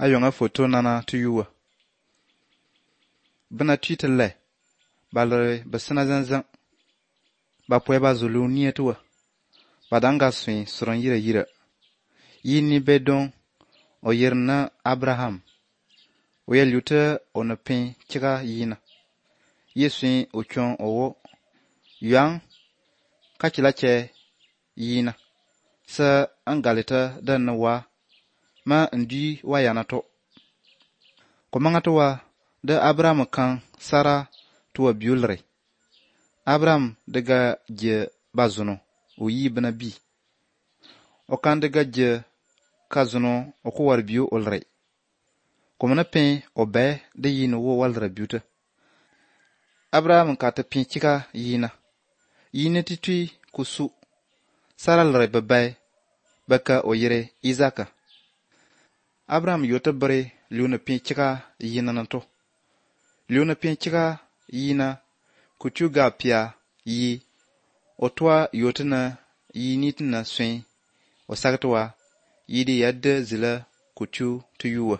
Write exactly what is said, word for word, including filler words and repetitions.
ayonga photo nana tuyuwa. Bina tuitele, balere basina zanzan, ba pwe ba zulu nietuwa, badanga swin suron yira yira. Yini bedon o yirna Abraham, o ya luta o na pin kika yina. Yeswin o chon owo, yuang kachila che yina. Sa angalita dan na wa, ma ndi wa yana to. Komanga to wa, da Abraham kan Sara tuwa biulre. Abraham daga je bazuno, o yi bina bi. O kan daga je kazuno o ko war biu olre. Komana pen o be da yina wo walra biuta. Abraham ka ta pin chika yina. Yina titui kusu. Sara lre babai baka o yire Izaka. Abraham yota bare liuna pin chika yina nanto. Liuna pin chika yina kuchuga pia yi otwa yota na yinit na swin o sagtwa yidi yadda zila kuchu tuyuwa.